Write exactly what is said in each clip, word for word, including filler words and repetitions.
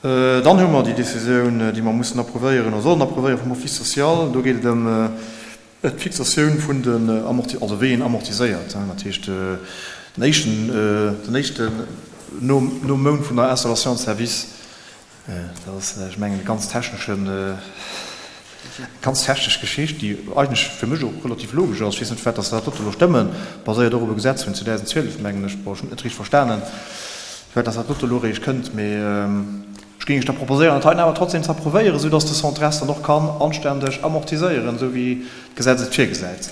Dann hu mer déi Decisioun, déi mer mussen approuvéieren oder sollen approuvéieren vum Office social. Do geet et ëm d'Fixatioun vun den Amorti-, also wéi een amortiséiert, dat heescht den éischten, den éischten nom, nom Mount vun der Installation de service. Dat ass, ech mengen, e ganz techneschen, ganz technesch Geschicht, déi eigentlech fir mech och relativ logesch ass. Ech weess net, firwat dass se dat dote elo stëmmen. Baséiert och op e Gesetz vun zweedausendzwielef, mengen ech. Bon, ech hunn et net richteg verstanen, firwat dass dat dote elo eréischt kënnt, mee ech géing iech da proposéieren, dat heiten awer trotzdem ze approuvéieren, esou dass de Centre-S dann och kann anständeg amortiséieren, esou wéi d'Gesetz et virgesäit.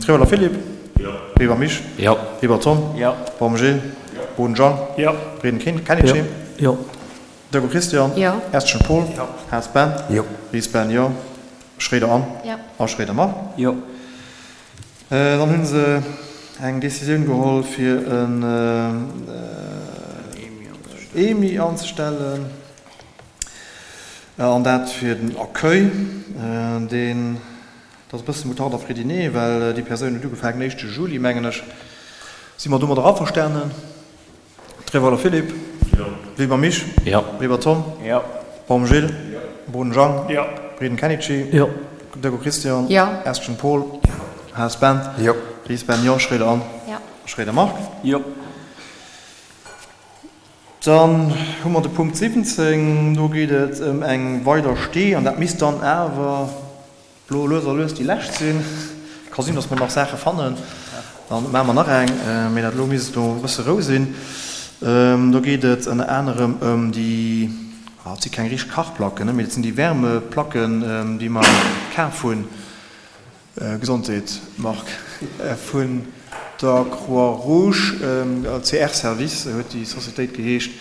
Trewelle Philippe. Jo. Weber Misch. Jo. Weber Tom. Jo. Baum Gilles. Jo. Boden Jean. Jo. Reden Kennedy. Jo. Deco Christian. Jo. Estgen Paul. Jo. Haas Ben. Jo. Ries Ben, jo. Schréider Anne. Jo. A Schréider Marc. Jo. Dann hu se eng Décisioun geholl fir en E M I anzestellen, an dat fir den Accueil. Deen, dat ass e bësse Moutarde à frediner, well déi Persoun huet ugefaangen den éischte Juli, mengen ech. Si mer domadder averstanen? Trewelle Philippe. Jo. Weber Misch. Jo. Weber Tom. Jo. Baum Gilles. Jo. Boden Jean. Jo. Reden Kennedy. Jo. Deco Christian. Jo. Estgen Paul. Haas Ben. Jo. Ries Ben, jo. Schréider Anne. Jo. Schréider Marc. Jo. Dann hu mer de Punkt siwwenzéng. Do geet et ëm eng weider Stee, an dat misst dann awer elo lues a lues déi lescht sinn. Ka sinn, datt mer nach Saache fannen, dann maache mer nach eng, mee dat elo misst elo e bësse Rou sinn. Do geet et ënner anerem ëm déi, ah, et si keng richteg Kachplacken, mee et sinn déi Wärmeplacken, déi mer kaf hunn, Gesondheet, Marc, vun der Croix-Rouge, C R Service huet déi Societéit geheescht,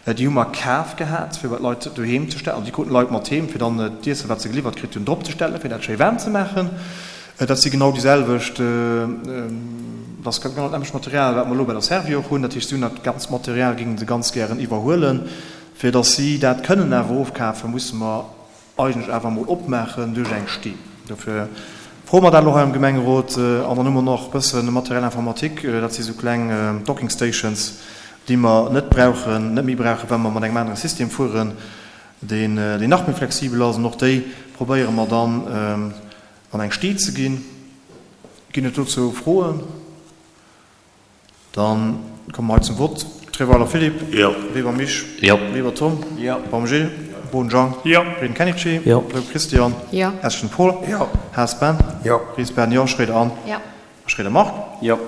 déi hu mer kaf gehat, fir bei d'Leit doheem ze stellen. Also déi kruten d'Leit mat heem, fir dann d'Iessen, wat se geliwwert kritt hunn, drop ze stellen, fir dat schéi waarm ze maachen. Dat si genau déi selwecht, dat ass genau dat nämmlecht Material, wat mer elo bei der Servior och hunn. Dat heescht, si hunn dat ganzt Material, géinge se ganz gären iwwerhuelen. Fir datt si dat kënnen awer ofkafen, musse mer eigentlech awer emol opmaachen duerch eng Stee. Dofir froe mer dat elo hei am Gemengerot. An dann hu mer nach e bësse Matériel informatique, dat si sou kleng Docking Stations, déi mer net brauchen, net méi brauchen, well mer mat engem anere System fueren, deen, deen nach méi flexibel ass. An och déi probéiere mer dann an eng Stee ze ginn. Ginn et dozou Froen? Dann komme mer hei zum Vott. Treweiler Philippe. Jo. Weber Misch. Jo. Weber Tom. Jo. Baum Gilles. Jo. Boden Jean. Jo. Reden Kennedy. Jo. Loeb Christian. Jo. Estgen Paul. Jo. Haas Ben. Jo. Ries Ben, jo. Schréider Anne. Jo. Schréider Marc. Jo.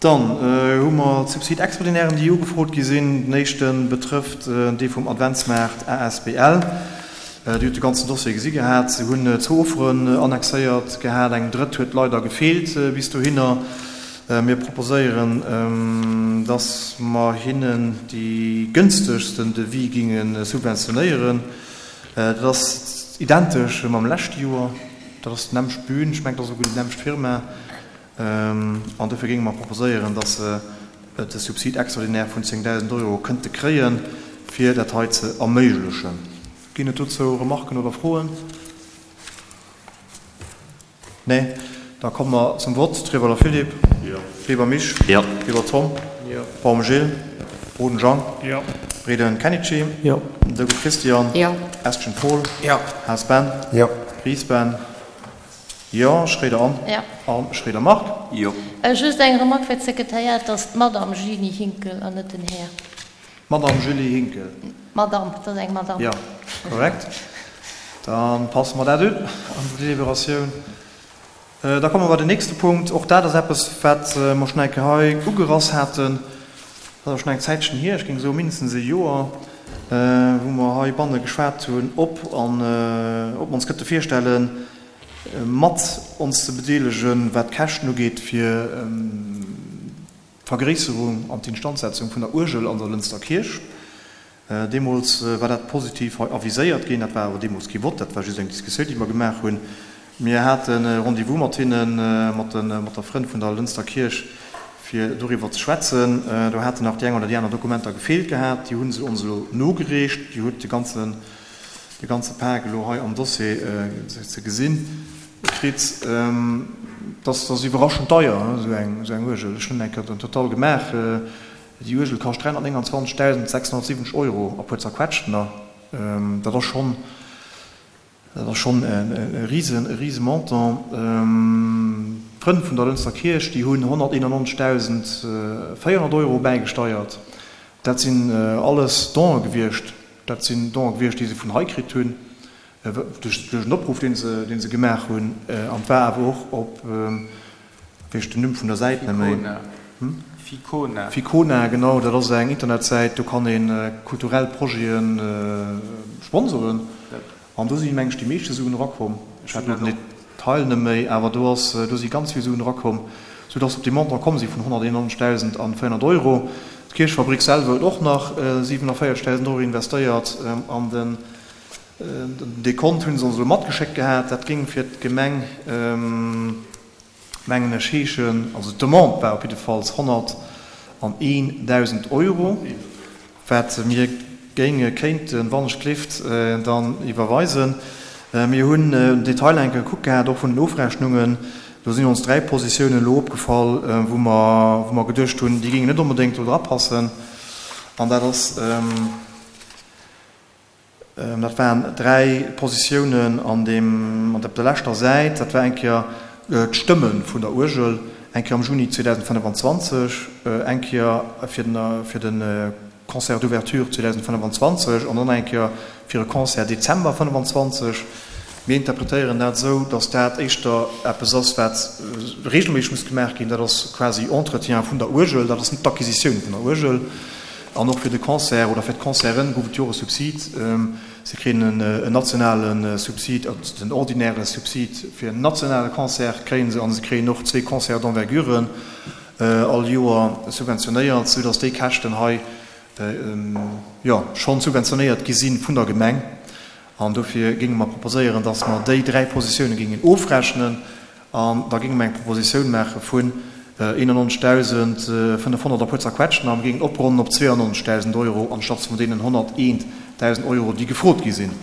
Dann hu mer d'Subside extraordinairen, déi ugefrot gi sinn. Den éischte betrëfft dee vum Adventsmaart A S B L. Dir hutt de ganzen Dossier gesi gehat. Se hunn zwou Offeren annexéiert gehat. Eng drëtt huet leider gefeelt bis dohinner. Mir proposéieren, dass mer hinnen déi gënstegsten Devis ginge subventionéieren. Dat ass identesch mam leschte Joer. Dat ass d'nämmlecht Bühn. Ech mengen, dat ass esouguer déi nämmlecht Firma. An dofir géinge mer proposéieren, dass se de Subside extraordinaire vun zéngdausend Euro kënnte kréien, fir dat hei ze erméiglechen. Ginn et dozou Remarken oder Froen? Nee? Da komme mer zum Vott. Trewelle Philippe. Jo. Weber Misch. Jo. Weber Tom. Jo. Baum Gilles. Boden Jean. Jo. Reden Kennedy. Jo. Deco Christian. Jo. Estgen Paul. Jo. Haas Ben. Jo. Ries Ben. Jo. Schréider Anne. Jo. A Schréider Marc. Jo. Just eng Remarque fir d'Sekretariat, et ass d'Madame Julie Hinkel an net den Här. D'Madame Julie Hinkel. Madame, et ass eng Madame. Jo, korrekt. Da passe mer dat un an der Deliberatioun. Da komme mer bei den nächste Punkt. Och dat ass eppes, wat mer schonn eng Kéier hei ugerass haten. Dat ass schonn eng Zäitchen hier, ech géing soe mindestens e Joer, wou mer heibanne geschwat hunn, ob an ob mer ons kënnte virstellen, mat ons ze bedeelegen, wat d'Käschten ugeet fir d'Vergréisserung an d'Instandsetzung vun der Uergel an der Lënster Kierch. Deemools war dat positiv hei aviséiert ginn. Dat war awer deemools kee Vott, dat war just eng Diskussioun, déi mer gemaach hunn. Mir hate Rendez-vous mat hinnen, mat de mat der Frënn vun der Lënster Kierch, fir doriwwer ze schwätzen. Do haten nach déi eng oder déi aner Dokumenter gefeelt gehat. Déi hu se ons elo nogereecht. Dir hutt de ganzen de ganze Pak elo hei am Dossier ze gesinn kritt. Dat ass iwwerraschend deier, esou eng esou eng Uergel. Ech hunn eng Kéier den Total gemaach. Déi Uergel kascht dräihunnertnénganzwanzegdausendsechshunnertsiwwenzeg Euro a puer Zerquetschtener. Dat ass schonn, dat ass schonn e risen, e rise Montant. D'Frënn vun der Lënster Kierch, déi hunn honnerteenannonzegdausendvéierhonnert Euro bäigesteiert. Dat sinn alles Donë gewiescht. Dat sinn Donë gewiescht, déi se vun hei kritt hunn, duerch en Opruff, dee se, dee se gemaach hunn. An et war awer och op, weess ech den Numm vun der Säit net méi. Ficona. Ficona. Ficona, genau, dat ass eng Internetsäit, do kann ee kulturell Projete sponsoren. An do si meng ech déi meeschte Suen erakomm. Ech hat elo den Detail net méi, awer do ass, do si ganz vill Suen erakomm, soudass se op dee Montant komm si vun honnerteenannonzegdausend an véierhonnert Euro. D'Kierchfabrik selwer huet och nach siwenavéierzegdausend Euro investéiert an den Dekont hu se ons elo matgeschéckt gehat. Dat géing fir d'Gemeng, mengen ech, heeschen, also d'Demande war op jiddefalls honnerteendausend Euro, wat mir géinge kéinten, wann ech gleeft, dann iwwerweisen. Mir hunn den Detail eng Kéier gekuckt gehat, och vun den Ofrechnungen. Do sinn ons dräi Positiounen elo opgefall, wou mer, wou mer geduecht hunn, déi géingen net onbedéngt do drapassen. An dat ass, dat waren dräi Positiounen an deem, op der leschter Säit. Dat war eng Kéier d'Stëmme vun der Uergel, eng Kéier am Juni zweedausendfënnefenzwanzeg, eng Kéier fir den, fir de Concert d'ouverture zweedausendfënnefenzwanzeg an dann eng Kéier fir e Concert Dezember fënnefenzwanzeg. Mir interpretéieren dat esou, datt dat éischter eppes ass, wat regelméisseg muss gemaach ginn. Dat ass quasi Entretien vun der Uergel, dat ass net d'Acquisitioun vun der Uergel. An och fir de Concert oder fir d'Concerten gouf et jo och e Subsid. Se kréien en nationale Subsid, den ordinäre Subsid fir en nationale Concert kréie se, a se kréien och zwee Concerts d'envergure all Joer subventionéiert, soudatt déi Käschten hei jo schonn subventionéiert gi si vun der Gemeng. An dofir géinge mer proposéieren, datt mer déi dräi Positioune géingen ofrechnen an da géinge mer eng Propositioun maache vun eenannonzegdausendfënnefhonnert a puer Zerquetschten a mer géingen opronnen op zweeannonzegdausend Euro anstatt vun deenen honnerteentausend Euro, déi gefrot gi sinn.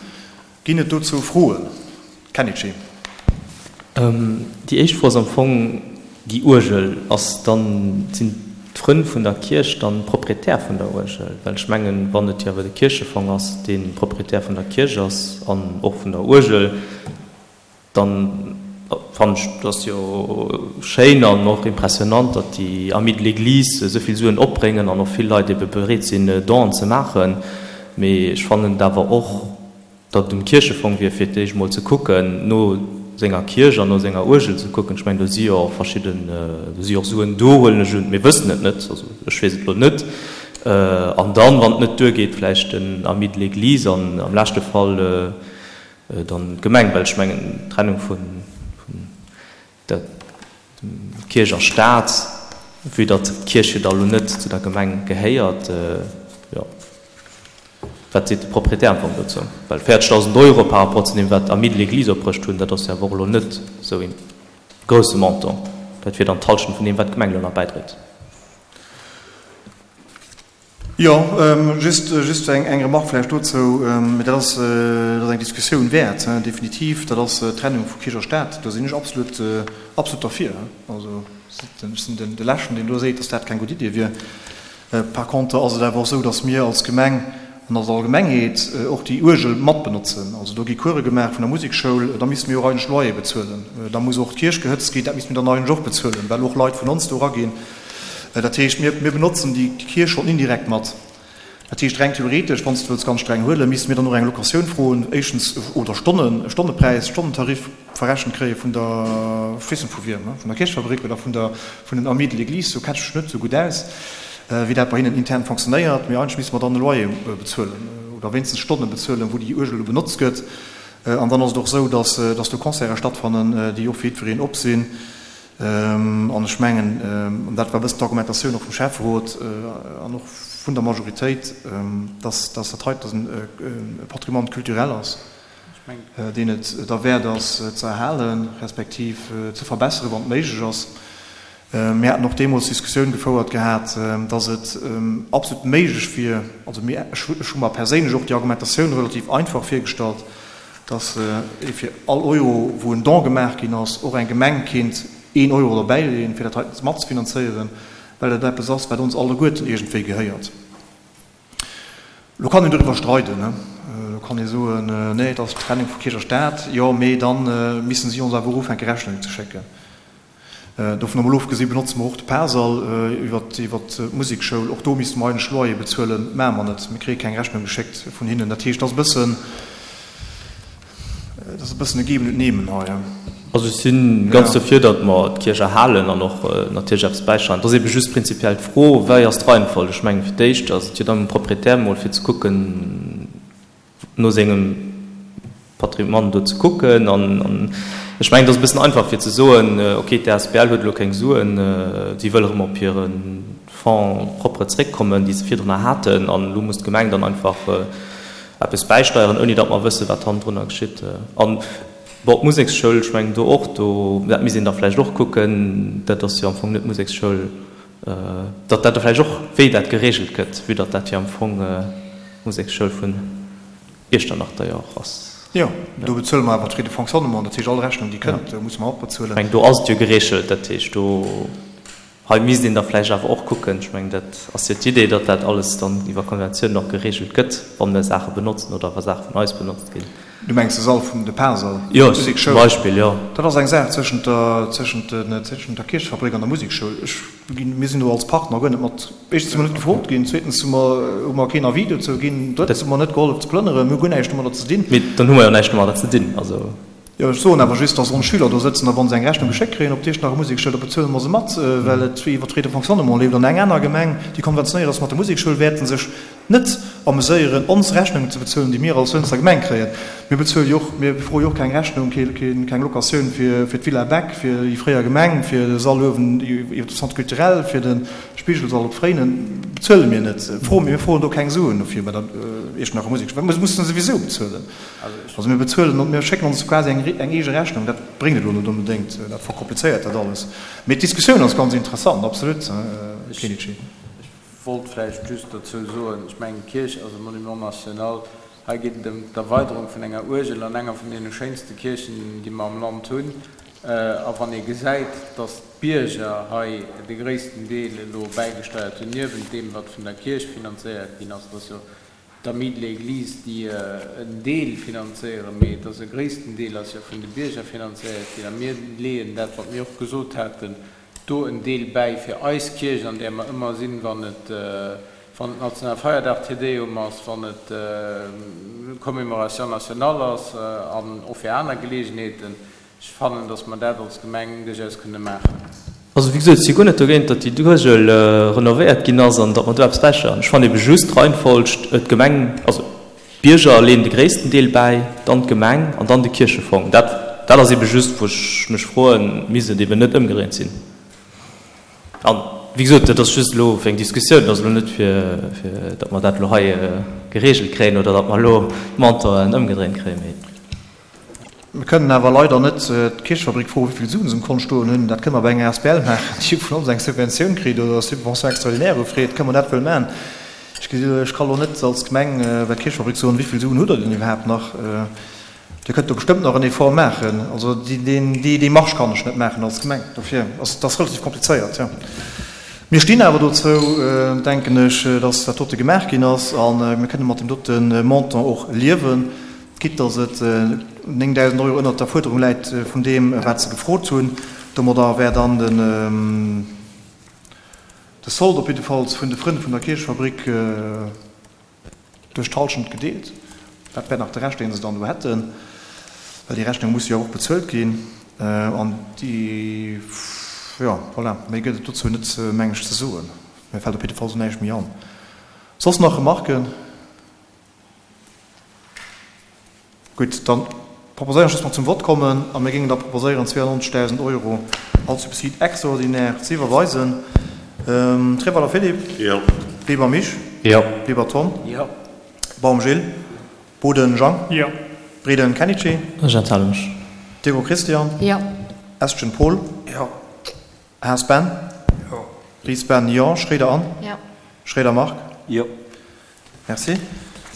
Ginn et dozou Froen? Kenichi. Déi éischt Fro ass am Fong déi Uergel. Ass dann, sinn d'Frënn vun der Kierch dann Proprietär vun der Uergel? Well ech mengen, wann et jo awer de Kierchefong ass, dee Proprietär vun der Kierch ass an och vun der Uergel, dann fannen ech, dat ass jo schéin an och impressionant, datt déi Amis de l'Église esou vill Suen opbréngen an och vill Leit ebe bereet sinn, Donen ze maachen. Mee ech fannen et awer och, datt et um Kierchefong wier, fir d'éischt emol ze kucken, no senger Kierch an no senger Uergel ze kucken. Ech mengen, do si jo och verschidden, do si jo och Suen do, huelen ech un. Mir wëssen et net, also ech weess et elo net. An dann, wann et net duergeet, vläicht den Amis de l'Église an am leschte Fall dann d'Gemeng, well ech mengen, d'Trennung vun der Kierch a Staat, vue datt d'Kierch jo da elo net zu der Gemeng gehéiert, jo. Wat seet de Proprietär am Fong dozou? Well véierzegdausend Euro par rapport zu deem, wat d'Amis de l'Église opbruecht hunn, dat ass jo awer och elo net esou ee grousse Montant. Dat wier dann d'Hallschent vun deem, wat d'Gemeng elo nach bäidréit. Jo, just, just eng, eng Remarque vläicht dozou. Mee dat ass, dat ass eng Diskussioun wäert, definitiv. Dat ass d'Trennung vu Kierch a Staat. Do sinn ech absolut, absolut derfir. Also ech sinn den, de Leschten, deen do seet, datt dat keng gutt Idee wier. Par contre ass et awer och esou, datt mir als Gemeng an als Allgemengheet och déi Uergel matbenotzen. Also do gi Course gemaach vun der Musekschoul, da misste mir och eigentlech Loyer bezuelen. Da muss och d'Kierch gehëtzt ginn, dat misste mir dann eigentlech och bezuelen, well och Leit vun ons do eraginn. Dat heescht, mir, mir benotzen déi Kierch schonn indirekt mat. Dat heescht, reng theoretesch, wann s de wëlls ganz streng huelen, misste mir dann och eng Locatioun froen, éischtens, oder Stonnen, Stonnepräis, Stonnentarif verrechent kréie vun der, ech weess net vu wiem, vun der Kierchfabrik oder vun der, vun den Amis de l'Église, do kenne ech mech net esou gutt aus, wéi dat bei hinnen intern fonctionnéiert. Mee eigentlech misste mer dann e Loyer bezuelen oder wéinstens Stonne bezuelen, wou déi Uergel elo benotzt gëtt. An dann ass et och esou, dass, dass do Concerte stattfannen, déi och fir jiddwereen op sinn. An ech mengen, an dat war e bëssen d'Argumentatioun och vum Schäfferot an och vun der Majoritéit, dass dat heiten e Patrimoine culturel ass, deen et derwäert ass ze erhalen, respektiv ze verbesseren, wann et méiglech ass. Mir haten och deemools d'Diskussioun gefouert gehat, dass et absolut méiglech wier, also mir, ech hu mer perséinlech och déi Argumentatioun relativ einfach virgestallt, dass ee fir all Euro, wou en Don gemaach ginn ass, och eng Gemeng kéint een Euro derbäileeën, fir dat heiten matzefinanzéieren. well dat eppes ass, wat ons alleguerten iergendwéi gehéiert. Lo kann een doriwwer streiden, ne? Lo kann ee soen, nee, et ass d'Trennung vu Kierch a Staat, jo, mee da missen si ons awer och ufänke Rechnungen ze schécken. Dovun emol ofgesi benotze mer och de Parsall iwwer d'Musekschoul. Och do misste mer eigentlech Loyer bezuelen, maache mer net. Mir kréie keng Rechnung geschéckt vun hinnen. Dat heescht, et ass e bëssen, et ass e bëssen e Geben und Nehmen hei. Also ech si ganz dofir, datt mer d'Kierch erhalen an och natierlech eppes bäisteieren. Et ass ebe just prinzipiell d'Fro, wéi ass d'Reihenfolg? Ech mengen, fir d'éischt ass et jo dann um Proprietär emol fir ze kucken, no sengem Patrimoine do ze kucken. An ech mengen, et ass e bëssen einfach fir ze soen, okay, d'A S B L huet elo keng Suen, si wëll erëm op hire Fonds propre zréckkommen, déi se virdrunner haten, an elo muss d'Gemeng dann einfach eppes bäisteieren, ouni datt mer wëssen, wat hannendrunner geschitt. An bon, d'Museksschoul, ech mengen do och, do, dat misst een da vläicht och kucken, dat ass jo am Fong net d'Museksschoul, datt dat da vläicht och, wéi dat geregelt gëtt, vue datt dat jo am Fong d'Museksschoul vun Iechternach da jo och ass. Jo, do bezuele mer awer d'Frais de fonctionnement, dat heescht all Rechnung, déi kënnt, musse mer och bezuelen. Ech mengen, do ass et jo geregelt, dat heescht do, hei misst een da vläicht awer och kucken, ech mengen, dat ass jo d'Idee, datt dat alles dann iwwer Konventiounen och geregelt gëtt, wa mir Saache benotzen oder wa Saache vun eis benotzt ginn. Du mengs de Sall vum, de Parsall, Jo, zum d'Musekschoul? Beispill, jo. Dat ass eng Saach zwëschent der, zwëschent den, zwëschent der Kierchefabrik an der Musekschoul. Ech ginn, mir sinn do als Partner guer net mat, éischtens si mer net gefrot ginn, zweetens hu mer, hu mer keen Avis dozou ginn, drëttens hu mer net gehollef ze plënneren, mir hu guer näischt domadder ze dinn. Mee dann hu mer jo näischt domadder ze dinn, also. Jo, ech soen awer just, dass ons Schüler do sëtzen a wa se eng Rechnung geschéckt kréien op d'Iechternacher Musekschoul, da bezuele mer se mat, well et iwwer d'Frais de fonctionnement leeft. An eng aner Gemeng, déi konventionéiert ass mat der Musekschoul, wäerte sech net ameséieren, ons Rechnungen ze bezuelen, déi mir als Lënster Gemeng kréien. Mir bezuele jo och, mir froe jo och keng Rechnung, keng Locatioun fir fir d'Villa Beck, fir déi fréier Gemeng, fir de Sall uewen iwwer dem Centre culturel, fir de Spigelsall op Fréinen bezuele mir net. Froe mir, mir froen do keng Suen dofir bei der Iechternacher Musekschoul, well mir mussen se souwisou bezuelen. Also mir bezuelen und mir schécken ons quasi eng eng eege Rechnung. Dat bréngt et elo net onbedéngt, dat verkomplizéiert dat alles. Mee d'Diskussioun ass ganz interessant, absolut, Här Kenichi. Ech wollt vläicht just dozou soen, ech mengen, d'Kierch ass e Monument national. Hei geet et ëm d'Erweiderung vun enger Uergel an enger vun deene schéinste Kierchen, déi mer am Land hunn. A wann ee gesäit, datt d'Bierger hei de gréissten Deel elo bäigesteiert hunn, niewent deem, wat vun der Kierch finanzéiert ginn ass, dat ass jo d'Amis de l'Église, déi en Deel finanzéieren, mee et ass e gréissten Deel ass jo vun de Bierger finanzéiert ginn. A mir leeën dat, wat mir och gesot haten, do en Deel bäi fir eis Kierch, an där mer ëmmer sinn, wann et wann et Nationalfeierdag, Te Deum ass, wann et Commémoration nationale ass an och fir aner Geleegenheeten. Ech fannen, dass mer dat als Gemeng duerchaus kënne maachen. Also, wéi gesot, ech si guer net dogéint, datt déi Uergel renovéiert ginn ass an datt mer do eppes bäisteieren. Ech fannen ebe just d'Reihenfolg, d'Gemeng, also d'Bierger leeën de gréissten Deel bäi, dann d'Gemeng an dann de Kierchefong. Dat, dat ass ebe just, wou ech mech froen, misst et eben net ëmgedréint sinn? An, wéi gesot, dat ass just elo fir eng Diskussioun, dat ass elo net fir, fir datt mer dat elo hei geregelt kréien oder datt mer elo d'Montanten ëmgedréint kréien, mee. Mir kënnen awer leider net d'Kierchefabrik froen, wéi vill Suen se um Kont stoen hunn. Dat kënne mer bei enger asbl maachen, déi vun ons eng Subventioun kritt oder Subvention extraordinaire ufreet, kënne mer dat wuel maachen. Ech gesi, ech ka lo net als Gemeng bei d'Kierchefabrik soen, wéi vill Suen hutt Der denn iwwerhaapt nach? Dir kënnt do bestëmmt nach en Effort maachen. Also déi, déi Démarche kann ech net maachen als Gemeng. Dofir ass et ass relativ komplizéiert, jo. Mir stinn awer dozou, denken ech, dass dat dote gemaach ginn ass a mir kënne mat deem dote Montant och liewen. Quitte dass et néngdausend Euro ënnert der Fuerderung läit vun deem, wat se gefrot hunn. Domadder wär dann de Solde op jiddefalls vun de Frënn vun der Kierchefabrik duerch d'Hallschent gedeelt. Dat wär nach de Rescht, dee se dann do hätten, well déi Rechnung muss jo awer och bezuelt ginn. An déi, jo, voilà, méi gëtt et dozou net, meng ech, ze soen. Mir fält op jiddefalls elo näischt méi an. Soss nach Remarken? Gutt, da proposéieren ech, dass mer zum Vott kommen a mir géingen da proposéieren, zweeannonzegdausend Euro als Subside extraordinaire ze iwwerweisen. Treweiler Philippe. Jo. Weber Misch. Jo. Weber Tom. Jo. Baum Gilles. Boden Jang. Jo. Breden Kenichi. Ech enthale mech. Devo Christian. Jo. Estgen Paul. Jo. Haas Ben. Jo. Ries Ben, jo. Schroeder Anne. Jo. Schroeder Marc. Jo. Merci.